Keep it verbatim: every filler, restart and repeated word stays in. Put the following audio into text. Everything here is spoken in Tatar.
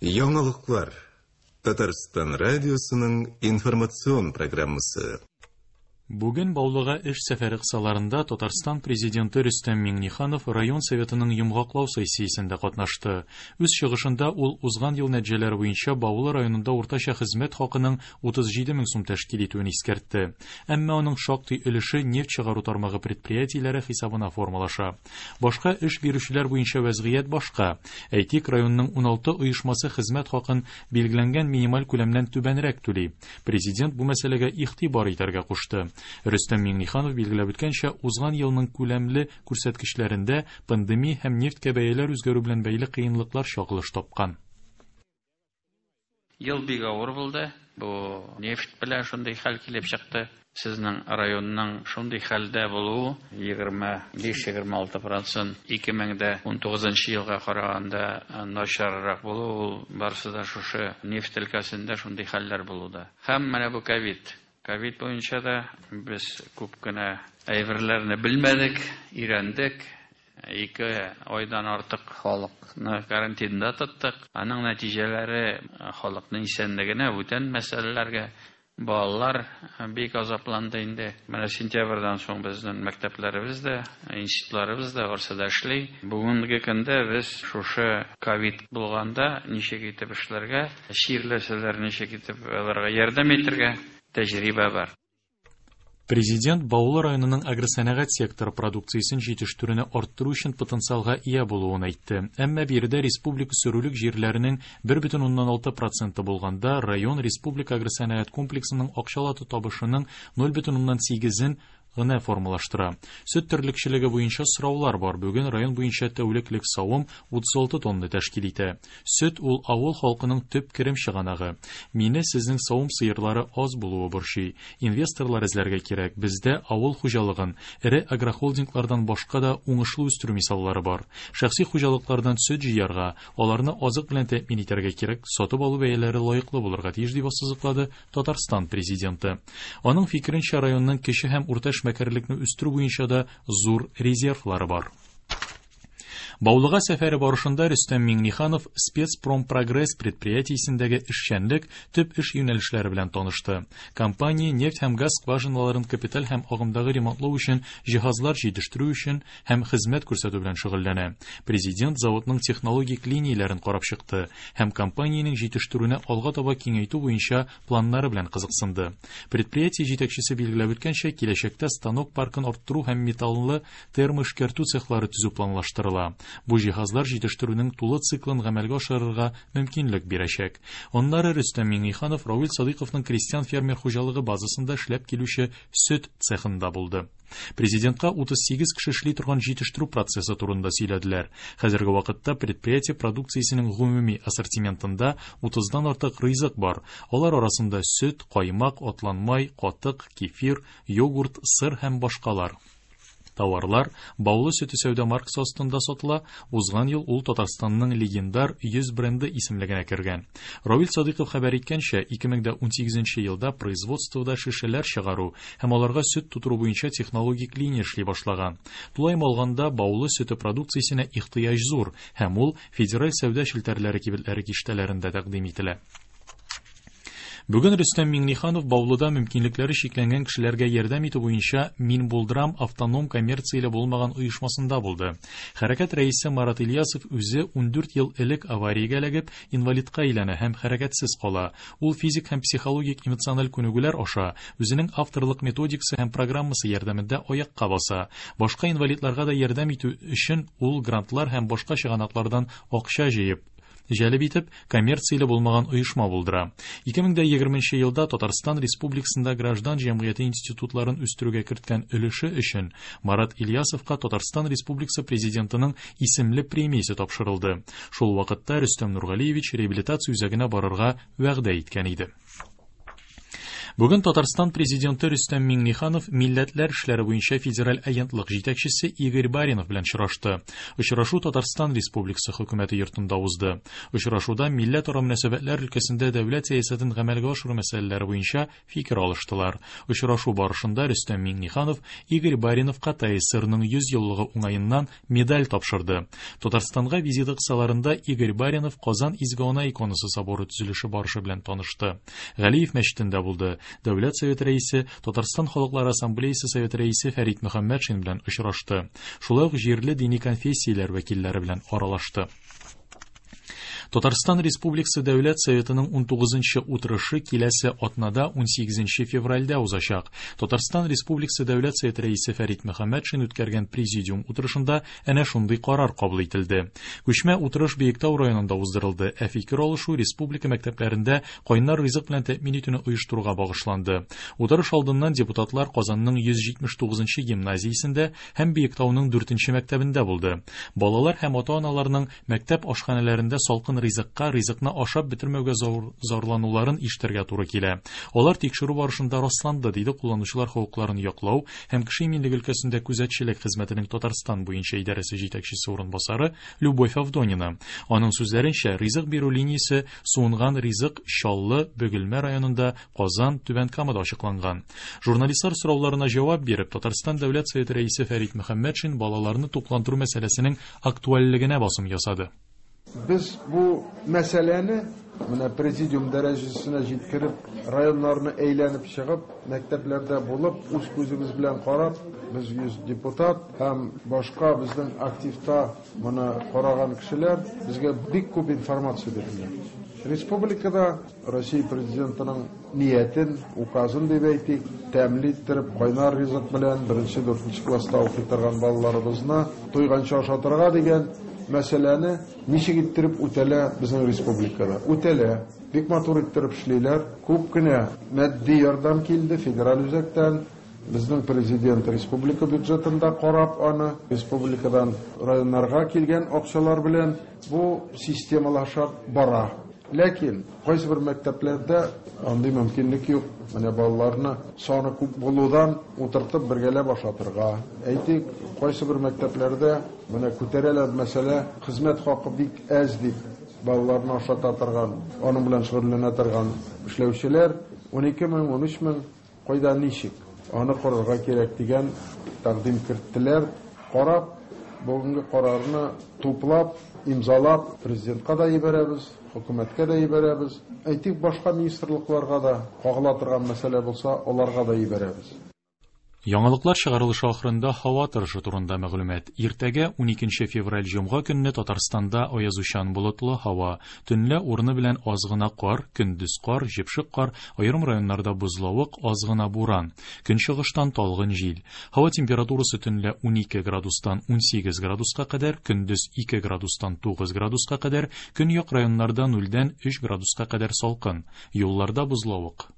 Яңалыклар. Татарстан радиосының информацион программасы. Бүген Баулыга эш сәфәре кысаларында Татарстан президенты Рөстәм Миңнеханов район советының йомгаклау сессиясендә катнашты. Үз чыгышында ул узган ел нәтиҗәләре буенча Баулы районында уртача хезмәт хакының утыз җиде мең сум тәшкил итүен искәртте. Әмма аның шактый өлеше нефть чыгару тармагы предприятиеләре хисабына формалаша. Башка эш бирүчеләр буенча вәзгыять башка. Әйтик, районның уналты оешмасы хезмәт хакын билгеләнгән минималь күләмнән түбәнрәк түли. Президент бу мәсьәләгә игътибар итәргә кушты. Рөстәм Миңнеханов билгеләп үткәнчә, узган елның күләмле күрсәткечләрендә пандемия һәм нефтькә бәяләр үзгәрү белән бәйле кыенлыклар чагылыш тапкан. Ел бик авыр булды. Бу нефть белән шундый хәл килеп чыкты. Сезнең районның шундый хәлдә булуы егерме биш-егерме алты процент ике мең дә унтугызынчы елга караганда начаррак булу, ул барысы да шушы нефть өлкәсендә шундый хәлләр булуда. Һәм менә бу ковид. Ковид буенча да без күп кенә әйберләрне белмәдек, өйрәндек. Ике айдан артык халыкны карантинда тоттык. Аның нәтиҗәләре халыкның исәнлегенә, бүтән мәсьәләләргә балалар бик азапланды инде. Менә сентябрьдән соң безнең мәктәпләребез дә, институтларыбыз да барысы да эшли. Бүгенге көндә без шушы ковид булганда ничек итеп эшләргә, чирләсәләр ничек итеп аларга ярдәм итәргә тәҗрибә бар. Президент Баулы районының агросәнәгать секторы продукциясен җитештерүне арттыру өчен потенциалга ия булуын әйтте. Әмма биредә республика сөрүлек җирләренең бер бөтен уннан алты проценты булганда, район республика агросәнәгать комплексының акчалата табышының ноль бөтен уннан сигезен гына формалаштыра. Сөт терлекчелеге буенча сораулар бар. Бүген район буенча тәүлеклек савым утыз алты тонна тәшкил итә. Сөт ул авыл халкының төп керем чыганагы. Мине сезнең савым сыерлары аз булуы борчый. Инвесторлар эзләргә кирәк. Бездә авыл хуҗалыгын эре агрохолдинглардан башка да уңышлы үстерү мисаллары бар. Шәхси хуҗалыклардан сөт җыярга, аларны азык белән тәэмин итәргә кирәк, сатып алу бәяләре лаеклы булырга тиеш, дип ассызыклады Татарстан президенты. Аның фикеренчә, районның кече һәм урта эшмәкәрлекне үстерү буенча да зур резервлары бар. Баулыга сәфәре барышында Рөстәм Миңнеханов Спецпромпрогресс предприятиесендәге эшчәнлек төп эш юнәлешләре белән танышты. Компания нефть һәм газ скважиналарын капиталь һәм агымдагы ремонтлау өчен җиһазлар җитештерү өчен һәм хезмәт күрсәтү белән шөгыльләнә. Президент заводның технологик линияләрен карап чыкты һәм компаниянең җитештерүне алга таба киңәйтү буенча планнары белән кызыксынды. Предприятие җитәкчесе билгеләп үткәнчә, киләчәктә станок паркын арттыру һәм металлы термоэшкәртү цехлары төзү планлаштырыла. Бу җиһазлар җитештерүнең тулы циклын гамәлгә ашырырга мөмкинлек бирәчәк. Аннары Рөстәм Миңнеханов Равил Садыйковның крестьян фермер хуҗалыгы базасында эшләп килүче сөт цехында булды. Президентка утыз сигез кеше эшли торган җитештерү процессы турында сөйләделәр. Хәзерге вакытта предприятие продукциясенең гомуми ассортиментында утыздан артык ризык бар. Алар арасында сөт, каймак, атланмай, катык, кефир, йогурт, сыр һәм башкалар. Тауарлар Баулы сөте сәүдә маркасы астында сатыла. Узган ел ул Татарстанның легендар йөз бренды исемлегенә кергән. Равил Садыйков хәбәр иткәнчә, ике мең дә унсигезенче елда производствода шешәләр чыгару һәм аларга сөт тутыру буенча технологик линия эшли башлаган. Тулаем алганда, Баулы сөте продукциясенә ихтыяҗ зур һәм ул федераль сәүдә челтәрләре кибетләре киштәләрендә тәкъдим ителә. Бүген Рөстәм Миңнеханов Баулыда мөмкинлекләре чикләнгән кешеләргә ярдәм итү буенча Мин булдырам автоном коммерцияле булмаган оешмасында булды. Хәрәкәт рәисе Марат Ильясов үзе ундүрт ел элек авариягә эләгеп, инвалидка әйләнә һәм хәрәкәтсез кала. Ул физик һәм психологик эмоциональ күнегүләр аша үзенең авторлык методикасы һәм программасы ярдәмендә аякка баса. Башка инвалидларга да ярдәм итү өчен ул грантлар һәм башка чыганаклардан акча җыеп җәлеп итеп, коммерцияле булмаган оешма булдыра. Ике мең дә егерменче елда Татарстан Республикасында граждан җәмгыяте институтларын үстерүгә керткән өлеше өчен Марат Ильясовка Татарстан Республикасы президентының исемле премиясе тапшырылды. Шул вакытта Рөстәм Нургалиевич реабилитация үзәгенә барырга вәгъдә иткән иде. Бүген Татарстан президенты Рөстәм Миңнеханов Милләтләр эшләре буенча федераль агентлык җитәкчесе Игорь Баринов белән очрашты. Очрашу Татарстан Республикасы хөкүмәте йортында узды. Очрашуда милләтара мөнәсәбәтләр өлкәсендә дәүләт сәясәтен гамәлгә ашыру мәсьәләләре буенча фикер алыштылар. Очрашу барышында Рөстәм Миңнеханов Игорь Бариновка ТАССРның йөз еллыгы уңаеннан медаль тапшырды. Татарстанга визиты кысаларында Игорь Баринов Казан Изге Ана иконасы соборы төзелеше барышы белән танышты. Галиев мәчетендә булды. Дәүләт Советы рәисе, Татарстан Халыклар Ассамблеясы Советы рәисе Фәрит Мөхәммәтшин белән очрашты. Шулай ук җирле дини конфессияләр вәкилләре белән аралашты. Татарстан Республикасы Дәүләт Советының унтугызынчы утырышы киләсе атнада унсигезенче февральдә узачак. Татарстан Республикасы Дәүләт Советы рәисе Фәрит Мөхәммәтшин үткәргән президиум утырышында әнә шундый карар кабул ителде. Күчмә утырыш Биектау районында уздырылды. Ә фикер алышу республика мәктәпләрендә кайнар ризык белән тәэмин итүне оештыруга багышланды. Утырыш алдыннан депутатлар Казанның йөз җитмеш тугызынчы гимназиясендә һәм Биектауның дүртенче мәктәбендә булды. Балалар һәм ата-аналарның мәктәп ашханәләрендә салкын ризыкка, ризыкны ашап бетермәүгә зарлануларын ишетергә туры килә. Алар тикшерү барышында расланды, диде кулланучылар хокукларын яклау һәм кеше иминлеге өлкәсендә күзәтчелек хезмәтенең Татарстан буенча идарәсе җитәкчесе урынбасары Любовь Авдонина. Аның сүзләренчә, ризык бирү линиясе суынган ризык Чаллы, Бөгелмә районында, Казан, Түбән Камада ачыкланган. Журналистлар сорауларына җавап биреп, Татарстан Дәүләт Советы рәисе Фәрит Мөхәммәтшин балаларны тукландыру мәсьәләсенең актуальлегенә басым ясады. Без бу мәсьәләне менә президиум дәрәҗәсенә җиткереп, районнарны әйләнеп чыгып, мәктәпләрдә булып, үз күзебез белән карап, без йөз депутат һәм башка безнең активта моны караган кешеләр безгә бик күп информация бирделәр. Республикада Россия президентының ниятен, указын дип әйтик, тәмле иттереп, кайнар ризык белән беренче, дүртенче класста укый торган балаларыбызны туйганчы ашатырга дигән мәсьәләне ничек иттереп үтәлә безнең республикада. Үтәлә. Бик матур иттереп эшлиләр. Күп кенә матди ярдәм килде федераль үзәктән. Безнең президент республика бюджетында карап аны, республикадан районнарга килгән акчалар белән бу системалаша бара. Ләкин кайсы бер мәктәпләрдә андый мөмкинлек юк. Менә балаларны саны күп булудан утыртып бергәләп ашатырга. Әйтик, кайсы бер мәктәпләрдә менә күтәрәләр мәсьәлә, хезмәт хакы бик әз дип балаларны ашата торган, аның белән шөгыльләнә торган эшләүчеләр унике мең, унөч мең, кайда ничек аны карарга кирәк дигән тәкъдим керттеләр. Карап, бүгенге карарны туплап, имзалап президентка да җибәрәбез, хөкүмәткә дә җибәрәбез. Әйтик, башка министрлыкларга да кагыла торган мәсьәлә булса, аларга да җибәрәбез. Яңалыклар чыгарылышы ахырында һава торышы турында мәгълүмат. Иртәгә уникенче февраль җомга көнне Татарстанда аязучан болытлы һава, төнлә урыны белән аз гына кар, көндез кар, җепшек кар, аерым районнарда бозлавык, аз гына буран. Көнчыгыштан талгын җил. Һава температурасы төнлә унике градустан унсигез градуска кадәр, көндез ике градустан тугыз градуска кадәр, көньяк районнарда нульдән өч градуска кадәр салкын. Юлларда бозлавык.